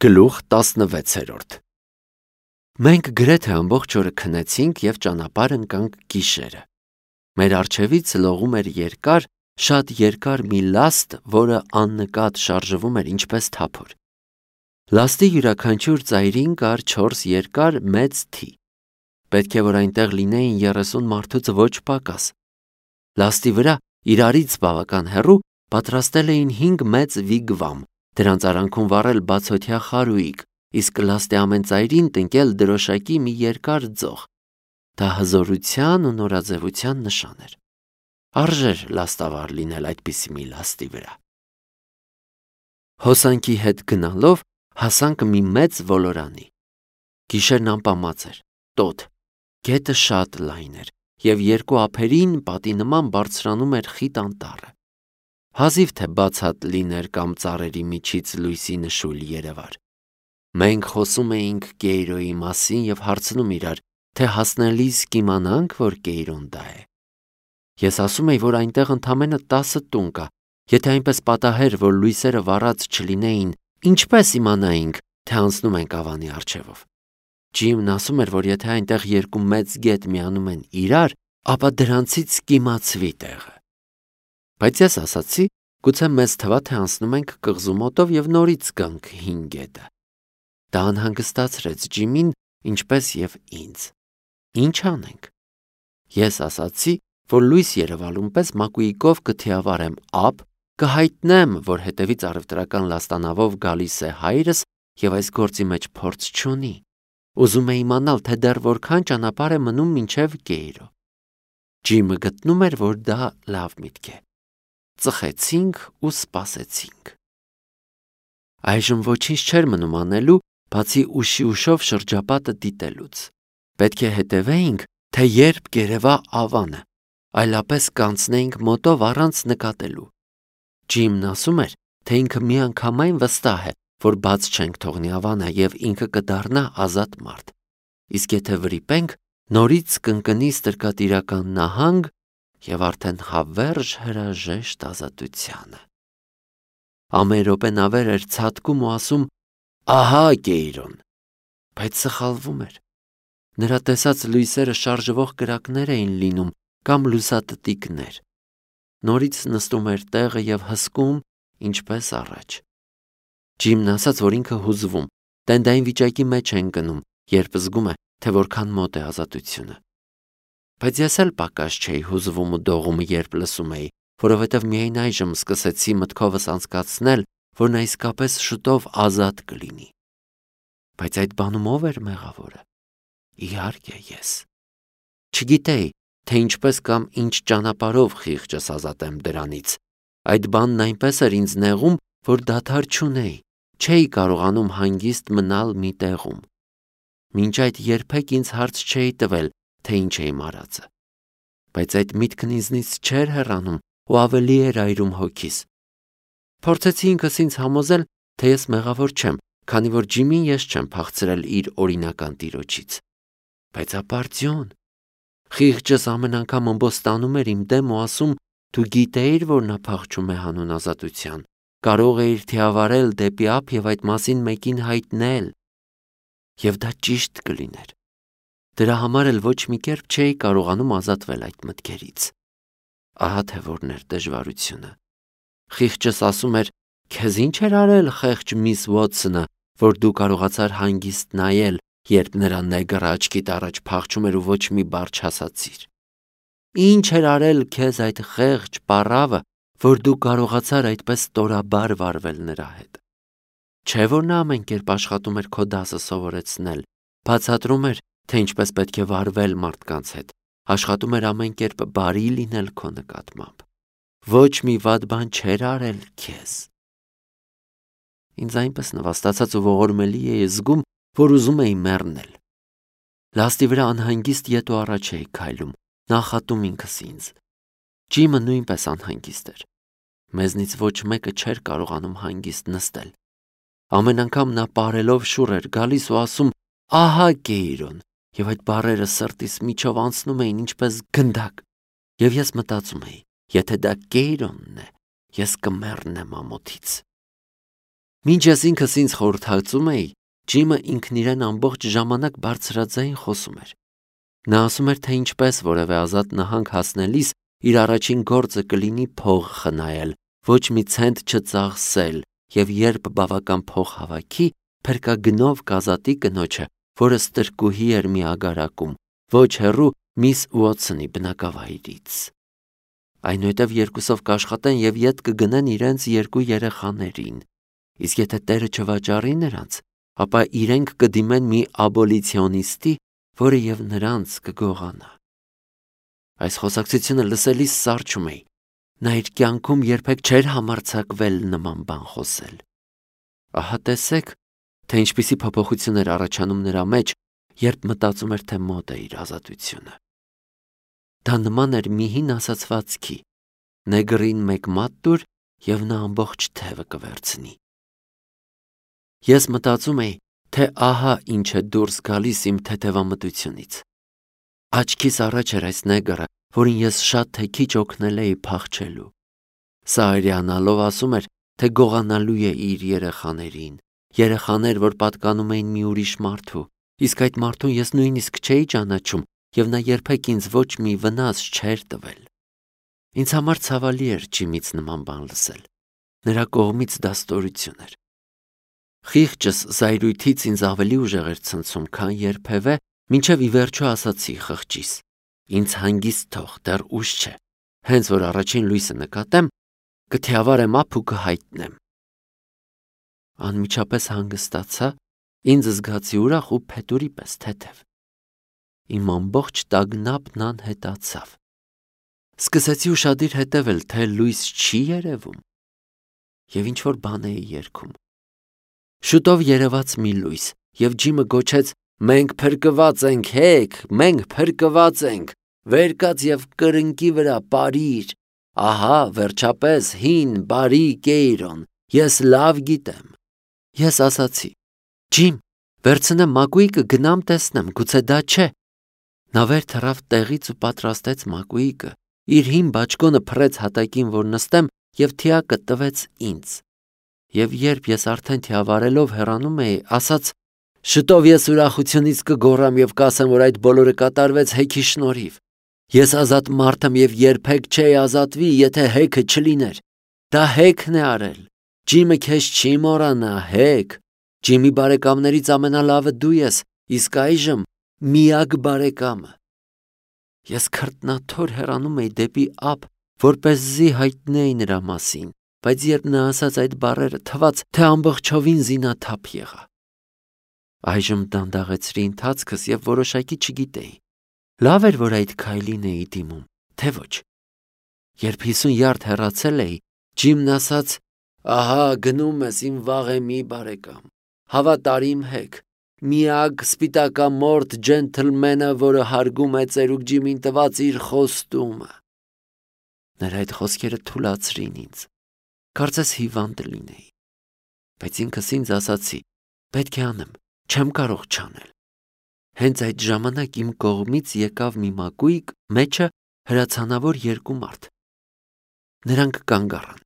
Գլուխ 16 Մենք գրեթե ամբողջ օրը քնեցինք և ճանապարհ ընկանք գիշերը։ Մեր առջևից լողում էր երկար, շատ երկար մի լաստ, որը աննկատ շարժվում էր ինչպես թափոր։ Լաստի յուրաքանչյուր ծայրին կար 4 երկար մեծ թի։ Պետք է որ այնտեղ լինեին 30 մարդուց ոչ պակաս։ Լաստի վրա իրարից բավական հեռու պատրաստել էին 5 մեծ վիգվամ, դրանց արանքում վառել բացօթյա խարույկ, իսկ լաստի ամեն ծայրին տնկել դրոշակի մի երկար ձող։ Դա հզորության ու նորաձևության նշան էր։ Արժեր լաստավար լինել այդպիսի մի լաստի վրա։ Հոսանքի հետ գնալով հասանք մի մեծ ոլորանի։ Գիշերն անպամած էր, տոտ, գետը շատ լայն էր և երկու ափերին պատի նման բարձրանում էր խիտ անտառը։ Հազիվ թե բացատ լիներ կամ ծառերի միջից լույսի նշույլ երևար։ Մենք խոսում էինք Կեյրոյի մասին և հարցնում իրար, թե հասնելիս կիմանանք, որ Կեյրոն դա է։ Ես ասում էի, որ այնտեղ ընդամենը 10 տուն կա, եթե այնպես պատահեր, որ լույսերը վառած չլինեին, ինչպես իմանայինք, թե անցնում ենք ավանի առջևով։ Ջիմն ասում էր, որ եթե այնտեղ երկու մեծ գետ միանում են իրար, ապա դրանցից կիմացվի տեղը։ Բայց ես ասացի, գուցե մեզ թվա, թե անցնում ենք կղզու մոտով և նորից գանք հին գետը։ Դա անհանգստացրեց Ջիմին, ինչպես և ինձ։ Ինչ անենք։ Ես ասացի, որ լույս երևալուն պես մակույկով կթիավարեմ ափ, կհայտնեմ, որ հետևից առևտրական լաստանավով գալիս է հայրս և այս գործի մեջ փորձ չունի։ Ուզում է իմանալ, թե դեռ որքան ճանապարհ է մնում մինչև Կեյրո։ Ջիմը գտնում էր, որ դա լավ միտք է։ Ծխեցինք ու սպասեցինք։ Այժմ ոչինչ չէր մնում անելու, բացի ուշով շրջապատը դիտելուց։ Պետք է հետևեինք, թե երբ կերևա ավանը, այլապես կանցնեինք մոտով առանց նկատելու։ Ջիմն ասում էր, թե ինքը միանգամայն վստահ է, որ բաց չենք թողնի ավանը և ինքը կդառնա ազատ մարդ։ Իսկ եթե վրիպենք, նորից կընկնի ստրկատիրական նահանգ և արդեն հավերժ հրաժեշտ ազատությանը։ Ամեն րոպե նավեր էր ցատկում ու ասում. «Ահա Կեյրոն», բայց սխալվում էր։ Նրա տեսած լույսերը շարժվող կրակներ էին լինում կամ լուսատտիկներ։ Նորից նստում էր տեղը և հսկում, ինչպես առաջ։ Ջիմն ասաց, որ ինքը հուզվում, տենդային վիճակի մեջ է ընկնում, երբ զգում է, թե որքան մոտ է ազատությունը։ Բայց ես էլ պակաս չէի հուզվում ու դողում, երբ լսում էի, որովհետև միայն այժմ սկսեցի մտքովս անցկացնել, որ նա իսկապես շուտով ազատ կլինի։ Բայց այդ բանում ով էր մեղավորը։ Իհարկե ես։ Չգիտեի, թե ինչպես կամ ինչ ճանապարհով խիղճս ազատեմ դրանից։ Այդ բանն այնպես էր ինձ նեղում, որ դադար չունեի, չէի կարողանում հանգիստ մնալ մի տեղում։ Մինչ այդ երբեք ինձ հարց չէի տվել, թե ինչ էի մարածը։ Բայց այդ միտքն ինձնից չէր հեռանում ու ավելի էր այրում հոգիս։ Փորձեցի ինքս ինձ համոզել, թե ես մեղավոր չեմ, քանի որ Ջիմին ես չեմ փախցրել իր օրինական տիրոջից։ Բայց ապարդյուն, խիղճս ամեն անգամ ըմբոստանում էր իմ դեմ ու ասում. «Դու գիտեիր, որ նա փախչում է հանուն ազատության, կարող էիր թիավարել դեպի ափ և այդ մասին մեկին հայտնել»։ Եվ դա ճիշտ կլիներ։ Դրա համար էլ ոչ մի կերպ չէի կարողանում ազատվել այդ մտքերից։ Ահա թե որն էր դժվարությունը։ Խիղճս ասում էր. «Քեզ ինչ էր արել խեղճ միս Ուոթսոնը, որ դու կարողացար հանգիստ նայել, երբ նրա նեգրը աչքիդ առաջ փախչում էր ու ոչ մի բառ չասացիր։ Ինչ էր արել քեզ այդ խեղճ պառավը, որ դու կարողացար այդպես ստորաբար վարվել նրա հետ։ Չէ՞ որ նա ամեն կերպ աշխատում էր քո դասը սովորեցնել, բացատրում էր, թե ինչպես պետք է վարվել մարդկանց հետ, աշխատում էր ամեն կերպ բարի լինել քո նկատմամբ։ Ոչ մի վատ բան չէր արել քեզ»։ Ինձ այնպես նվաստացած ու ողորմելի էի զգում, որ ուզում էի մեռնել։ Լաստի վրա անհանգիստ ետ ու առաջ էի քայլում, նախատում ինքս ինձ։ Ջիմը նույնպես անհանգիստ էր։ Մեզնից ոչ մեկը չէր կարողանում հանգիստ նստել։ Ամեն անգամ նա պարելով շուռ էր գալիս ու ասում. «Ահա Կեյրոն», և այդ բառերը սրտիս միջով անցնում էին ինչպես գնդակ։ Եվ ես մտածում էի. եթե դա Կեյրոնն է, ես կմեռնեմ ամոթից։ Մինչ ես ինքս ինձ խորհրդածում էի, Ջիմը ինքն իրեն ամբողջ ժամանակ բարձրաձայն խոսում էր։ Նա ասում էր, թե ինչպես որևէ ազատ նահանգ հասնելիս իր առաջին գործը կլինի փող խնայել, ոչ մի ցենտ չծախսել, եւ երբ բավական փող հավաքի, փրկագնով կազատի կնոջը, որը ստրկուհի էր մի ագարակում, ոչ հեռու Միս Ուոթսոնի բնակավայրից։ Այնուհետև երկուսով կաշխատեն եւ ետ կգնեն իրենց երկու երեխաներին։ Իսկ եթե Տերը չվաճառի նրանց, ապա իրենք կդիմեն մի աբոլիցիոնիստի, որը եւ նրանց կգողանա։ Այս խոսակցությունը լսելիս սառչում էի։ Նա իր կյանքում երբեք չէր համարձակվել նման բան խոսել։ Ահա տեսեք, թե ինչպիսի փոփոխություն էր առաջանում նրա մեջ, երբ մտածում էր, թե մոտ է իր ազատությունը։ Դա նման էր մի հին ասացվածքի. նեգրին մեկ մատ տուր եւ նա ամբողջ թևը կվերցնի։ Ես մտածում էի, թե ահա ինչ է դուրս գալիս իմ թեթևամտությունից։ Աչքիս առաջ էր այս նեգրը, որին ես շատ թե քիչ օգնել էի փախչելու։ Սա արյանալով ասում էր, թե գողանալու է իր երեխաներին, երեխաներ, որ պատկանում էին մի ուրիշ մարդու, իսկ այդ մարդուն ես նույնիսկ չէի ճանաչում, եւ նա երբեք ինձ ոչ մի վնաս չէր տվել։ Ինձ համար ցավալի էր Ջիմից նման բան լսել։ Նրա կողմից դա ստորություն էր։ Խիղճս զայրույթից ինձ ավելի ուժեղ էր ցնցում, քան երբևէ, մինչև ի վերջո ասացի խղճիս. ինձ հանգիստ թող, դեռ ուշ չէ, հենց որ առաջին լույսը նկատեմ, կթիավարեմ ափ ու կհայտնեմ։ Անմիջապես հանգստացա, ինձ զգացի ուրախ ու փետուրի պես թեթև։ Իմ ամբողջ տագնապն անհետացավ։ Սկսեցի ուշադիր հետևել, թե լույս չի երևում, եւ ինչ-որ բան էի երգում։ Շուտով երևաց մի լույս, եւ Ջիմը գոչեց. «Մենք փրկված ենք, հեք, մենք փրկված ենք, վեր կաց եւ կրնկի վրա պարիր, ահա վերջապես հին բարի Կեյրոն, ես լավ գիտեմ»։ Ես ասացի. «Ջիմ, վերցնեմ մակույկը, գնամ տեսնեմ, գուցե դա չէ»։ Նա վեր թռավ տեղից ու պատրաստեց մակույկը, իր հին բաճկոնը փռեց հատակին, որ նստեմ, եւ թիակը տվեց ինձ։ Եվ երբ ես արդեն թիավարելով հեռանում էի, ասաց. «Շուտով ես ուրախությունից կգոռամ եւ կասեմ, որ այդ բոլորը կատարվեց հեքի շնորհիվ։ Ես ազատ մարդ եմ եւ երբեք չէի ազատվի, եթե հեքը չլիներ։ Դա հեքն է արել։ Ջիմը քեզ չի մոռանա, հեք։ Ջիմի բարեկամներից ամենալավը դու ես, իսկ այժմ միակ բարեկամը»։ Ես քրտնաթոր հեռանում էի դեպի ափ, որպեսզի հայտնեի նրա մասին, բայց երբ նա ասաց այդ բառերը, թվաց, թե ամբողջովին զինաթափ եղա։ Այժմ դանդաղեցրի ընթացքս եւ որոշակի չգիտեի։ Լավ էր, որ այդ քայլին էի դիմում, թե ոչ։ Երբ 50 յարդ հեռացել էի, Ջիմն ասաց. «Ահա գնում ես իմ վաղեմի բարեկամ, հավատար իմ հեք, միակ սպիտակամորթ ջենթլմենը, որը հարգում է ծերուկ Ջիմին տված իր խոստումը»։ Նրա այդ խոսքերը թուլացրին ինձ։ Կարծես հիվանդ լինեի։ Բայց ինքս ինձ ասացի. պետք է անեմ, չեմ կարող չանել։ Հենց այդ ժամանակ իմ կողմից եկավ մի մակույկ, մեջը հրացանավոր երկու մարդ։ Նրանք կանգ առան։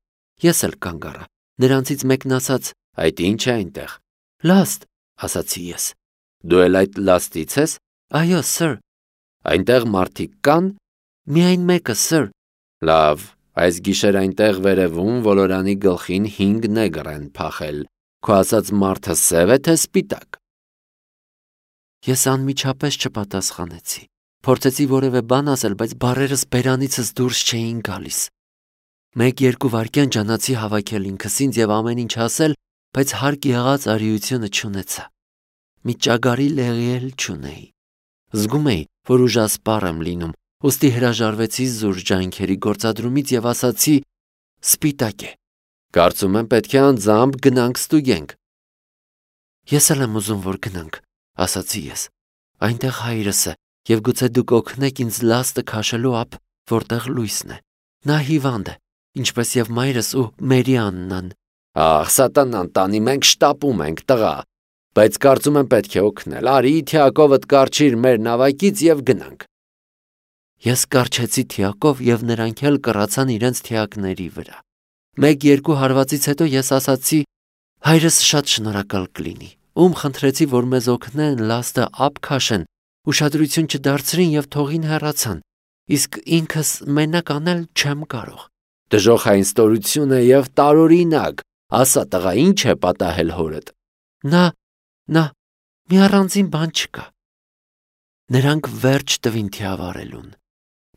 Ես էլ կանգ առա։ Նրանցից մեկն ասաց. «Այդ ինչ է այնտեղ»։ «Լաստ», ասացի ես։ «Դու էլ այդ լաստից ես»։ «Այո, սըր»։ «Այնտեղ մարդիկ կան»։ «Միայն մեկը, սըր»։ «Լավ, այս գիշեր այնտեղ վերևում ոլորանի գլխին 5 նեգր են փախել։ Քո ասած մարդը սև է թե սպիտակ»։ Ես անմիջապես չպատասխանեցի։ Փորձեցի որևէ բան ասել, բայց բառերս բերանիցս դուրս չէին գալիս։ 1-2 վայրկյան ջանացի հավաքել ինքս ինձ եւ ամեն ինչ ասել, բայց հարկ եղած արիությունը չունեցա։ Մի ճագարի լեղի էլ չունեի։ Զգում էի, որ ուժասպառ եմ լինում, ուստի հրաժարվեցի զուր ջանքերի գործադրումից եւ ասացի. «Սպիտակ է։ Կարծում եմ պետք է անձամբ գնանք ստուգենք»։ «Ես էլ եմ ուզում, որ գնանք», ասացի ես։ «Այնտեղ հայրս է, եւ գուցե դուք օգնեք ինձ լաստը քաշելու ափ, որտեղ լույսն է։ Նա հիվանդ է, ինչպես եւ մայրս ու Մերիաննան»։ «Ահ, սատանան տանի, մենք շտապում ենք, տղա, բայց կարծում եմ պետք է օգնել։ Արի թիակովդ կառչիր մեր նավակից եւ գնանք»։ Ես կառչեցի թիակով եւ նրանք էլ կռացան իրենց թիակների վրա։ 1-2 հարվածից հետո ես ասացի. Հայրս շատ շնորհակալ կլինի, ում խնդրեցի, որ մեզ օգնեն լաստը ափ քաշեն, ուշադրություն չդարձրին եւ թողին հեռացան, իսկ ինքս մենակ անել չեմ կարող։ Դժոխային ստորություն է եւ տարօրինակ, ասա տղա, ինչ է պատահել հորդ։ Նա մի առանձին բան չկա։ Նրանք վերջ տվին թիավարելուն։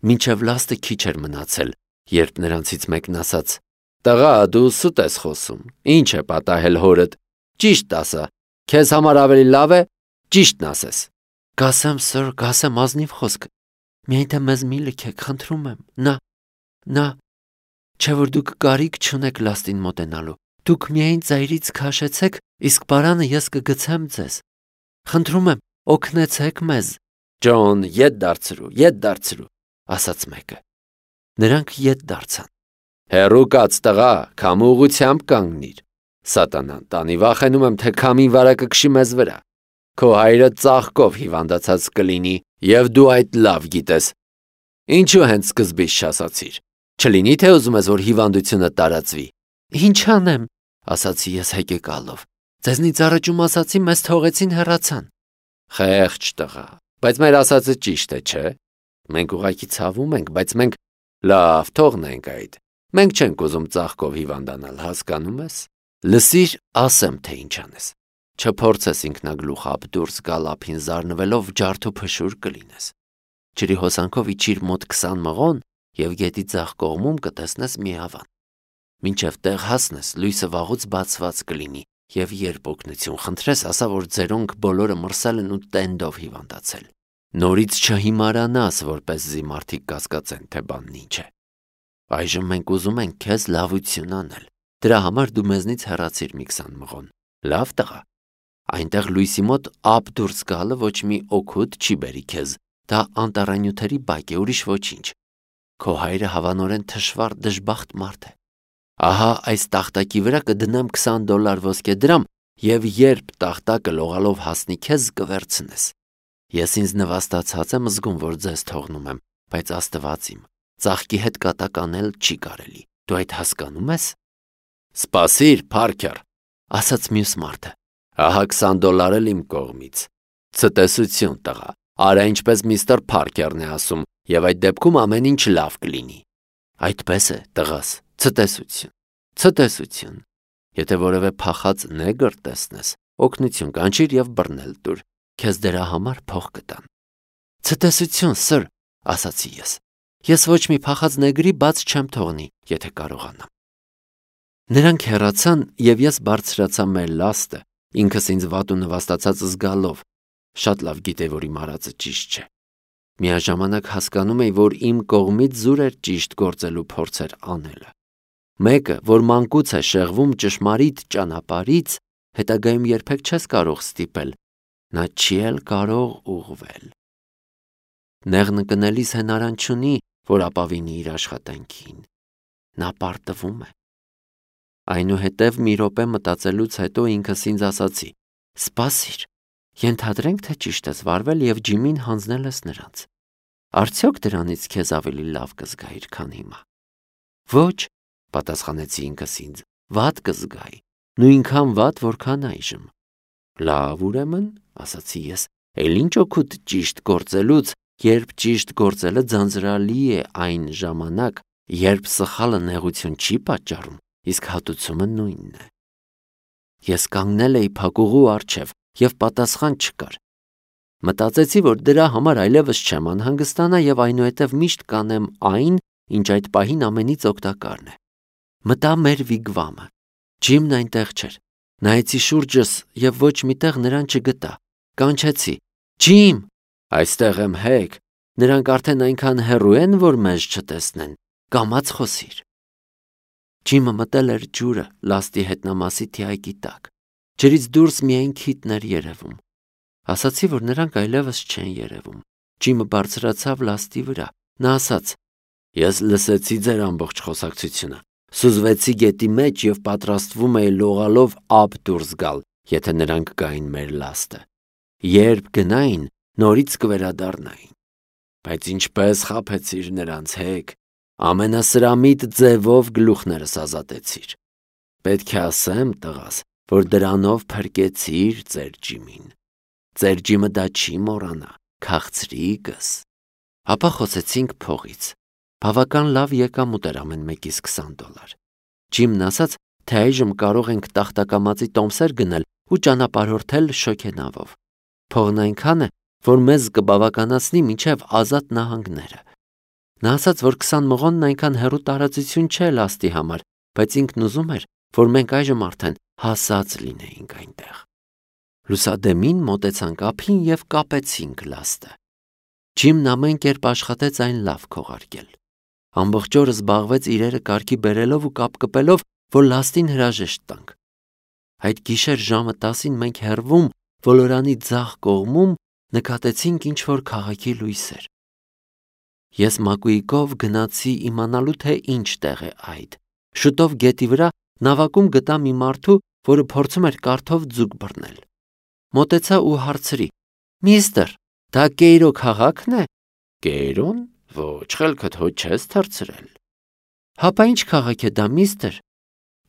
Մինչև լաստը քիչ էր մնացել, երբ նրանցից մեկն ասաց. Տղա, դու սուտ ես խոսում, ինչ է պատահել հորդ, ճիշտ ասա, քեզ համար ավելի լավ է ճիշտն ասես։ Կասեմ, սըր, կասեմ ազնիվ խոսք, միայն թե մեզ մի լքեք, խնդրում եմ, նա, չէ որ դուք կարիք չունեք լաստին մոտենալու, դուք միայն ծայրից քաշեցեք, իսկ պարանը ես կգցեմ ձեզ։ Խնդրում եմ, օգնեցեք մեզ։ Ջոն, ետ դարձրու, ասաց մեկը։ Նրանք ետ դարձան։ Հեռու կաց տղա, քամու ուղությամբ կանգնիր։ Սատանան տանի, վախենում եմ, թե քամին վարակը քշի մեզ վրա։ Քո հայրը ծաղկով հիվանդացած կլինի, եւ դու այդ լավ գիտես։ Ինչու հենց սկզբից չասացիր։ Չլինի թե ուզում ես, որ հիվանդությունը տարածվի։ Ինչ անեմ, ասացի ես հեկեկալով։ Ձեզնից առաջում ասացի, մեզ թողեցին հեռացան։ Խեղճ տղա, բայց մեր ասածը ճիշտ է, չէ։ Մենք ուղղակի ցավում ենք, բայց մենք լավ թողնենք այդ։ Մենք չենք ուզում ծաղկով հիվանդանալ, հասկանում ես։ Լսիր, ասեմ, թե ինչ անես։ Չփորձես ինքնագլուխ ափ դուրս գալ ափին զարնվելով ջարդու փշուր կլինես։ Ջրի հոսանքով իջիր մոտ 20 մղոն եւ գետի ձախ կողմում կտեսնես մի ավան։ Մինչև տեղ հասնես, լույսը վաղուց բացված կլինի եւ երբ օգնություն խնդրես, ասա, որ ձերոնք բոլորը մրսել են ու տենդով հիվանդացել։ Նորից չհիմարանաս, որպեսզի մարդիկ կասկածեն, թե բանն ինչ է։ Այժմ մենք ուզում ենք քեզ լավություն անել։ Դրա համար դու մեզնից հեռացիր մի 20 մղոն։ Լավ տղա։ Այնտեղ լույսի մոտ ափ դուրս գալը ոչ մի օգուտ չի բերի քեզ։ Դա անտառանյութերի բակ է, ուրիշ ոչինչ։ Քո հայրը հավանորեն թշվառ դժբախտ մարդ է։ Ահա այս տախտակի վրա կդնեմ $20 ոսկե դրամ եւ երբ տախտակը լողալով հասնի քեզ կվերցնես։ Ես ինձ նվաստացած եմ զգում, որ ձեզ թողնում եմ, բայց Աստված իմ, ծաղկի հետ կատակ անել չի կարելի։ Դու այդ հասկանում ես։ Սպասիր, Փարքեր, ասաց մյուս մարդը։ Ահա $20 էլ իմ կողմից։ Ցտեսություն տղա, արա ինչպես միստր Փարքերն է ասում, եւ այդ դեպքում ամեն ինչ լավ կլինի։ Այդպես է, տղաս, ցտեսություն։ Եթե որևէ փախած նեգր տեսնես, օգնություն կանչիր եւ բռնել տուր, քեզ դրա համար փող կտան։ Ցտեսություն, սըր, ասացի ես։ Ես ոչ մի փախած նեգրի բաց չեմ թողնի, եթե կարողանամ։ Նրանք հեռացան եւ ես բարձրացա մեր լաստը, ինքս ինձ վատ ու նվաստացած զգալով։ Շատ լավ գիտեի, որ իմ արածը ճիշտ չէ։ Միաժամանակ հասկանում էի, որ իմ կողմից զուր էր ճիշտ գործելու փորձեր անելը։ Մեկը, որ մանկուց է շեղվում ճշմարիտ ճանապարհից, հետագայում երբեք չես կարող ստիպել, նա չի էլ կարող ուղղվել։ Նեղն կնելիս հնարան չունի, որ ապավինի իր աշխատանքին։ Նա պարտվում է։ Այնուհետև մի րոպե մտածելուց հետո ինքս ինձ ասացի. սպասիր, ենթադրենք, թե ճիշտ ես վարվել եւ Ջիմին հանձնել ես նրանց։ Արդյոք դրանից քեզ ավելի լավ կզգայիր, քան հիմա։ Ոչ, պատասխանեցի ինքս ինձ, վատ կզգայի, նույնքան վատ, որքան այժմ։ Լավ, ուրեմն, ասացի ես, էլ ինչ օգուտ ճիշտ գործելուց, երբ ճիշտ գործելը ձանձրալի է այն ժամանակ, երբ սխալը նեղություն չի պատճառում, իսկ հատուցումը նույնն է։ Ես կանգնել էի փակուղու առջև եւ պատասխան չկար։ Մտածեցի, որ դրա համար այլևս չեմ անհանգստանա եւ այնուհետև միշտ կանեմ այն, ինչ այդ պահին ամենից օգտակարն է։ Մտա մեր վիգվամը։ Ջիմն այնտեղ չէր։ Նայեցի շուրջս եւ ոչ միտեղ նրան չգտա։ Կանչեցի. Ջիմ, այստեղ եմ հեկ։ Նրանք արդեն այնքան հեռու են, որ մեզ չտեսնեն։ Կամաց խոսիր։ Ջիմը մտել էր ջուրը լաստի հետնամասի թիակի տակ։ Ջրից դուրս միայն քիթն էր երևում։ Ասացի, որ նրանք այլևս չեն երևում։ Ջիմը բարձրացավ լաստի վրա։ Նա ասաց. Ես լսեցի ձեր ամբողջ խոսակցությունը։ Սուզվեցի գետի մեջ եւ պատրաստվում էի լողալով ափ դուրս գալ, եթե նրանք գային մեր լաստը։ Երբ գնային, նորից կվերադառնային։ Բայց ինչպես խաբեցիր նրանց հեկ, ամենասրամիտ ձևով գլուխներս ազատեցիր։ Պետք է ասեմ, տղաս, որ դրանով փրկեցիր ձեր ջիմին։ Ձեր ջիմը դա չի մոռանա, քաղցրիկս։ Ապա խոսեցինք փողից։ Բավական լավ եկամուտ էր ամեն մեկից $20։ Ջիմն ասաց, թե այժմ կարող ենք տախտակամածի տոմսեր գնել ու ճանապարհորդել շոգենավով։ Փողն այնքան է, որ մեզ կբավականացնի մինչև Ազատ նահանգները։ Նա ասաց, որ 20 մղոնն այնքան հեռու տարածություն չէ լաստի համար, բայց ինքն ուզում էր, որ մենք այժմ արդեն հասած լինեինք այնտեղ։ Լուսադեմին մոտեցանք ափին և կապեցինք լաստը։ Ջիմն ամեն կերպ աշխատեց այն լավ քողարկել։ Ամբողջ օրը զբաղվեց իրերը կարգի բերելով ու կապկպելով, որ լաստին հրաժեշտ տանք։ Այդ գիշեր ժամը 10-ին մենք հեռվում ոլորանի ձախ կողմում նկատեցինք ինչ-որ քաղաքի լույսեր։ Ես Մակուիկով գնացի իմանալու, թե ինչ տեղ է այդ։ Շուտով գետի վրա նավակում գտա մի մարդու, որը փորձում էր կարթով ձուկ բռնել։ Մոտեցա ու հարցրի. «Միստր, դա Կեյրո քաղաքն է»։ Կեյրոն։ Ոչ, խելքդ հո չես թռցրել։ Հապա ինչ քաղաք է դա, միստր։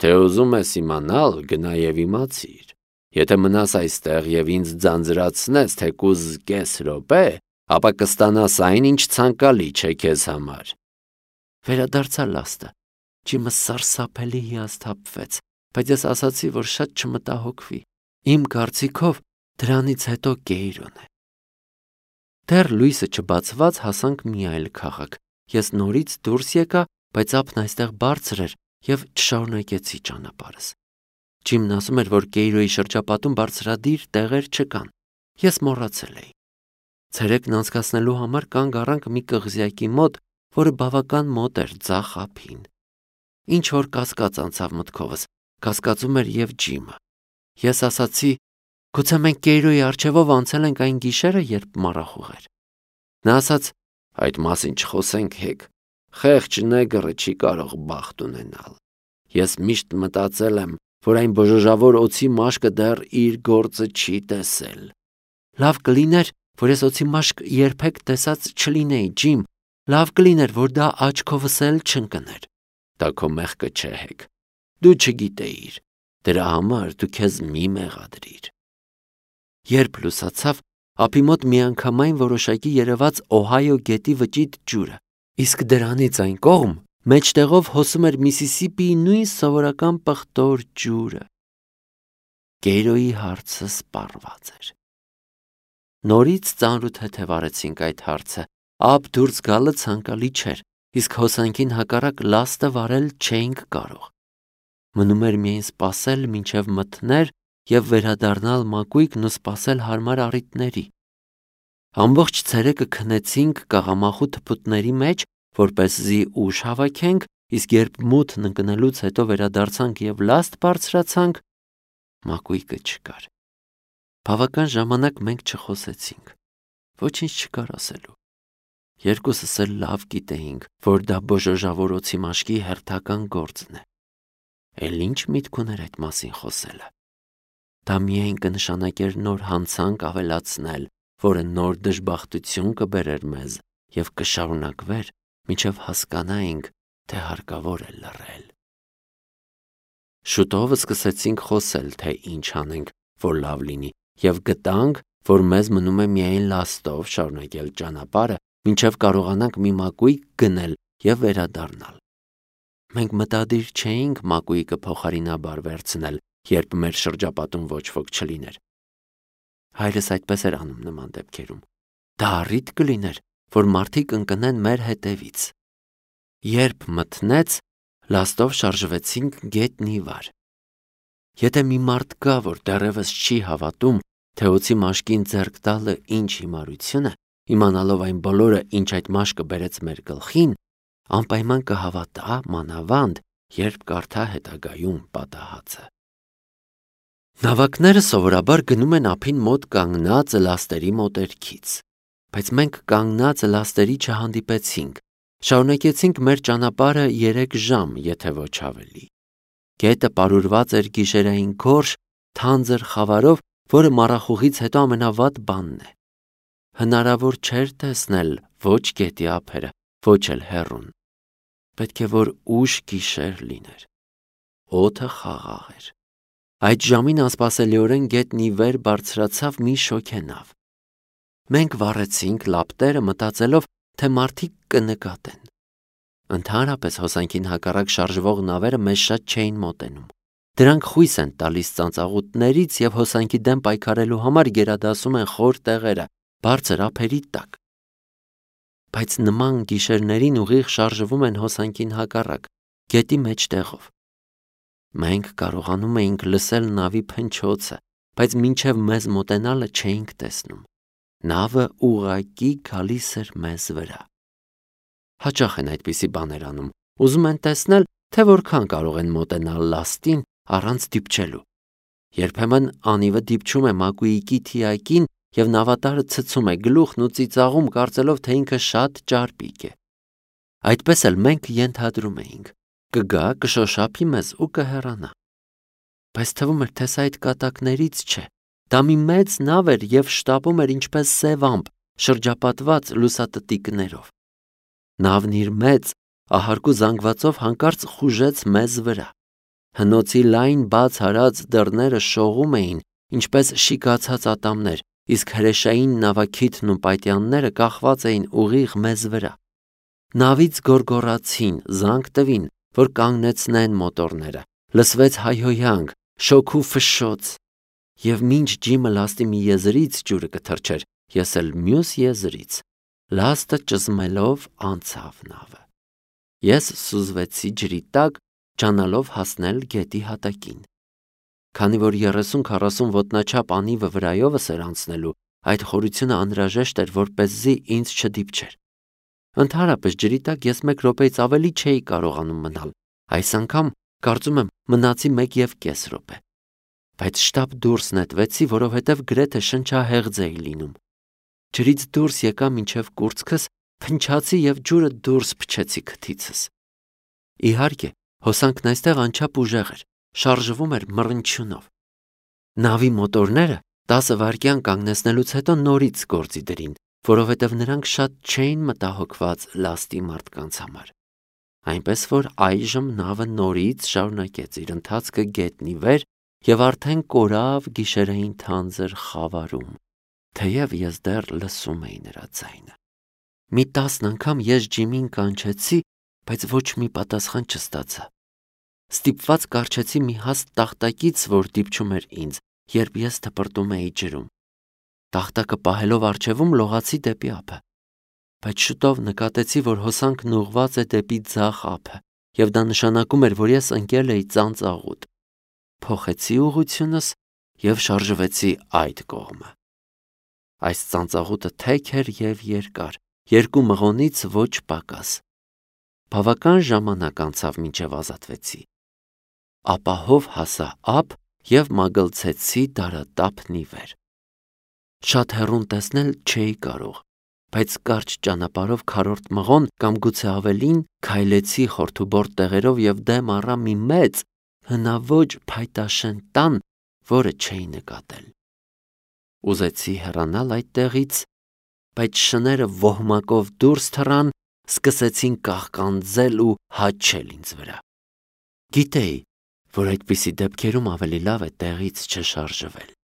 Թե ուզում ես իմանալ, գնա և իմացիր։ Եթե մնաս այստեղ և ինձ ձանձրացնես թեկուզ կես րոպե, ապա կստանաս այն, ինչ ցանկալի չէ քեզ համար։ Վերադարձա լաստը։ Ջիմը սարսափելի հիասթափվեց, բայց ես ասացի, որ շատ չմտահոգվի։ Իմ կարծիքով դրանից հետո Կեյրոն է։ Դեռ լույսը չբացված հասանք մի այլ քաղաք։ Ես նորից դուրս եկա, բայց ափն այստեղ բարձր էր և չշարունակեցի ճանապարհս։ Ջիմն ասում էր, որ Կեյրոյի շրջապատում բարձրադիր տեղեր չկան։ Ես մոռացել էի։ Ցերեկն անցկացնելու համար կանգ առանք մի կղզյակի մոտ, որը բավական մոտ էր ձախ ափին։ Ինչ որ կասկած անցավ մտքովս, կասկածում էր և Ջիմը։ Ես ասացի, գուցե մենք Կեյրոյի առջևով անցել ենք այն գիշերը, երբ մառախուղ էր։ Նա ասաց, այդ մասին չխոսենք հեկ։ Խեղճ նեգրը չի կարող բախտ ունենալ։ Ես միշտ մտածել եմ, որ այն բոժոժավոր օձի մաշկը դեռ իր գործը չի տեսել։ Լավ կլիներ, որ ես օձի մաշկ երբեք տեսած չլինեի, Ջիմ։ Լավ կլիներ, որ դա աչքովս էլ չընկներ։ Դա քո մեղքը չէ հեկ։ Դու չգիտեիր։ Դրա համար դու քեզ մի մեղադրիր։ Երբ լուսացավ, ափի մոտ միանգամայն որոշակի երևաց Օհայո գետի վճիտ ջուրը, իսկ դրանից այն կողմ մեջտեղով հոսում էր Միսիսիպիի նույն սովորական պղտոր ջուրը։ Կեյրոյի հարցը սպառված էր։ Նորից ծանրութեթև արեցինք այդ հարցը։ Ափ դուրս գալը ցանկալի չէր, իսկ հոսանքին հակառակ լաստը վարել չէինք կարող։ Մնում էր միայն սպասել, մինչև մթներ և վերադառնալ Մակուիկն ու սպասել հարմար առիթների։ Ամբողջ ցերեկը քնեցինք կաղամախու թփուտների մեջ, որպեսզի ուժ հավաքենք, իսկ երբ մութն ընկնելուց հետո վերադարձանք և լաստ բարձրացանք, Մակուիկը չկար։ Բավական ժամանակ մենք չխոսեցինք։ Ոչինչ չկար ասելու։ Երկուսս էլ լավ գիտեինք, որ դա բոժոժավոր օձի մաշկի հերթական գործն է։ Էլ ինչ միտք ուներ այդ մասին խոսելը։ Դա միայն կնշանակեր նոր հանցանք ավելացնել, որը նոր դժբախտություն կբերեր մեզ և կշարունակվեր, մինչև հասկանայինք, թե հարկավոր է լռել։ Շուտով սկսեցինք խոսել, թե ինչ անենք, որ լավ լինի, և գտանք, որ մեզ մնում է միայն լաստով շարունակել ճանապարհը, մինչև կարողանանք մի Մակուիկ գնել և վերադառնալ։ Մենք մտադիր չէինք Մակուիկը փոխարինաբար վերցնել, երբ մեր շրջապատում ոչ ոք չլիներ։ Հայրս այդպես էր անում նման դեպքերում։ Դա առիթ կլիներ, որ մարդիկ ընկնեն մեր հետևից։ Երբ մթնեց, լաստով շարժվեցինք գետնի վար։ Եթե մի մարդ կա, որ դեռևս չի հավատում, թե օձի մաշկին ձեռք տալը ինչ հիմարություն է, իմանալով այն բոլորը, ինչ այդ մաշկը բերեց մեր գլխին, անպայման կհավատա մանավանդ, երբ կարդա հետագայում պատահածը։ Նավակները սովորաբար գնում են ափին մոտ կանգնած լաստերի մոտերքից, բայց մենք կանգնած լաստերի չհանդիպեցինք, շարունակեցինք մեր ճանապարհը 3 ժամ, եթե ոչ ավելի։ Գետը պարուրված էր գիշերային գորշ, թանձր խավարով, որը մառախուղից հետո ամենավատ բանն է։ Հնարավոր չէր տեսնել ոչ գետի ափերը, ոչ էլ հեռուն։ Պետք է որ ուշ գիշեր լիներ։ Օդը խաղաղ էր։ Այդ ժամին անսպասելիորեն գետն ի վեր բարձրացավ մի շոգենավ։ Մենք վառեցինք լապտերը մտածելով, թե մարդիկ կնկատեն։ Ընդհանրապես հոսանքին հակառակ շարժվող նավերը մեզ շատ չէին մոտենում։ Դրանք խույս են տալիս ծանծաղուտներից և հոսանքի դեմ պայքարելու համար գերադասում են խոր տեղերը, բարձր ափերի տակ։ Բայց նման գիշերներին ուղիղ շարժվում են հոսանքին հակառակ, գետի մեջտեղով։ Մենք կարողանում էինք լսել նավի փնչոցը, բայց մինչև մեզ մոտենալը չէինք տեսնում։ Նավը ուղղակի գալիս էր մեզ վրա։ Հաճախ են այդպիսի բաներ անում, ուզում են տեսնել, թե որքան կարող են մոտենալ լաստին առանց դիպչելու։ Երբեմն անիվը դիպչում է մակույիկի թիակին և նավատարը ցցում է գլուխն ու ծիծաղում, կարծելով, թե ինքը շատ ճարպիկ է։ Այդպես էլ մենք ենթադրում էինք. կգա, կշոշափի մեզ ու կհեռանա։ Բայց թվում էր, թե սա այդ կատակներից չէ։ Դա մի մեծ նավ էր և շտապում էր ինչպես սև ամպ, շրջապատված լուսատտիկներով։ Նավն իր մեծ, ահարկու զանգվածով հանկարծ խուժեց մեզ վրա։ Հնոցի լայն բաց հարած դռները շողում էին, ինչպես շիկացած ատամներ, իսկ հրեշային նավաքիթն ու պայտյանները կախված էին ուղիղ մեզ վրա։ Նավից գոռգոռացին, զանգ տվին, որ կանգնեցնեն մոտորները, լսվեց հայհոյանք, շոգ ու ֆշշոց, և մինչ ջիմը լաստի մի եզրից ջուրը կթռչեր, ես էլ մյուս եզրից, լաստը ճզմելով անցավ նավը։ Ես սուզվեցի ջրի տակ, ջանալով հասնել գետի հատակին։ Քանի որ 30-40 ոտնաչափ անիվը վրայովս էր անցնելու, այդ խորությունը անհրաժեշտ էր, որպեսզի ինձ չդիպչեր։ Ընդհանրապես ջրի տակ ես 1 րոպեից ավելի չէի կարողանում մնալ, այս անգամ կարծում եմ մնացի 1.5 րոպե։ Բայց շտապ դուրս նետվեցի, որովհետև գրեթե շնչահեղձ էի լինում։ Ջրից դուրս եկա մինչև կուրծքս, փնչացի և ջուրը դուրս փչեցի քթիցս։ Իհարկե, հոսանքն այստեղ անչափ ուժեղ էր, շարժվում էր մռնչյունով։ Նավի մոտորները 10 վայրկյան կանգնեցնելուց հետո նորից գործի դրին, որովհետև նրանք շատ չէին մտահոգված լաստի մարդկանց համար։ Այնպես որ այժմ նավը նորից շարունակեց իր ընթացքը գետնի վեր և արդեն կորավ գիշերային թանձր խավարում, թեև ես դեռ լսում էի նրա ձայնը։ Մի 10 անգամ ես ջիմին կանչեցի, բայց ոչ մի պատասխան չստացա։ Ստիպված կառչեցի մի հաստ տախտակից, որ դիպչում էր ինձ, երբ ես թպրտում էի ջրում։ Տախտակը պահելով առջևում լողացի դեպի ափը։ Բայց շուտով նկատեցի, որ հոսանքն ուղղված է դեպի ձախ ափը, և դա նշանակում էր, որ ես ընկել էի ծանծաղուտ։ Փոխեցի ուղղությունս և շարժվեցի այդ կողմը։ Այս ծանծաղուտը թեք էր և երկար, 2 մղոնից ոչ պակաս։ Բավական ժամանակ անցավ, մինչև ազատվեցի։ Ապահով հասա ափ և մագլցեցի դարատափն ի վեր։ Շատ հեռուն տեսնել չէի կարող, բայց կարճ ճանապարհով քառորդ մղոն կամ գուցե ավելին քայլեցի խորթուբորտ տեղերով և դեմ առա մի մեծ, հնաոճ փայտաշեն տան, որը չէի նկատել։ Ուզեցի հեռանալ այդտեղից, բայց շները ոհմակով դուրս թռան, սկսեցին կաղկանձել ու հաչել ինձ վրա։ Գիտեի, որ այդպիսի դեպքերում ավելի լավ է տեղից չշարժվել։